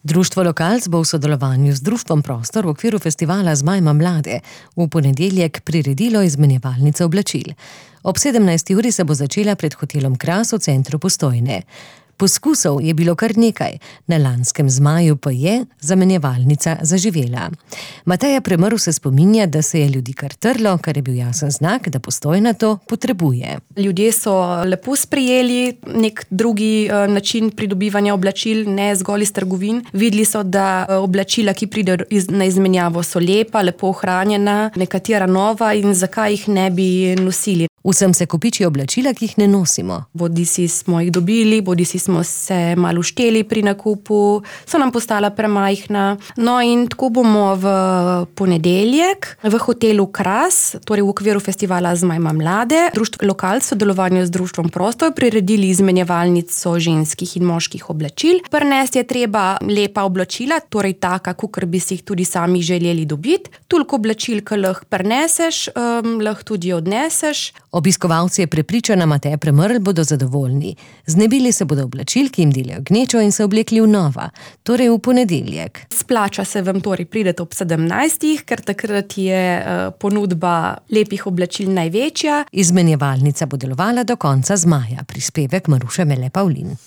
Društvo Lokalc bo v sodelovanju z Društvom Prostor v okviru festivala Zmaj ima mlade v ponedeljek priredilo izmenjevalnice oblačil. Ob 17. uri se bo začela pred hotelom Kras v centru Postojne. Poskusov je bilo kar nekaj, na lanskem Zmaju pa je zamenjevalnica zaživela. Mateja Premrl se spominja, da se je ljudi kar trlo, kar je bil jasen znak, da Postojna to potrebuje. Ljudje so lepo sprejeli nek drugi način pridobivanja oblačil, ne zgolj iz trgovin. Videli so, da oblačila, ki pridejo na izmenjavo, so lepa, lepo ohranjena, nekatera nova in zakaj jih ne bi nosili. Vsem se kopiči oblačila, ki jih ne nosimo. Bodisi smo jih dobili, bodisi smo se malo šteli pri nakupu, so nam postala premajhna. No in tako bomo v ponedeljek v hotelu Kras, torej v okviru festivala Zmaj ima mlade, Društvo Lokalc v sodelovanju z Društvom Prostor priredili izmenjevalnico ženskih in moških oblačil. Prinesti je treba lepa oblačila, torej taka, kakor bi si jih tudi sami želeli dobiti. Toliko oblačil, ki lahko prineseš, lahko tudi odneseš. Obiskovalci, je prepričana Mateja Premrl, bodo zadovoljni. Znebili se bodo oblačil, ki jim delajo gnečo, in se oblekli v nova, torej v ponedeljek. Splača se vam torej prideti ob 17, ker takrat je ponudba lepih oblačil največja. Izmenjevalnica bo delovala do konca Zmaja. Prispevek Maruše Mele Pavlin.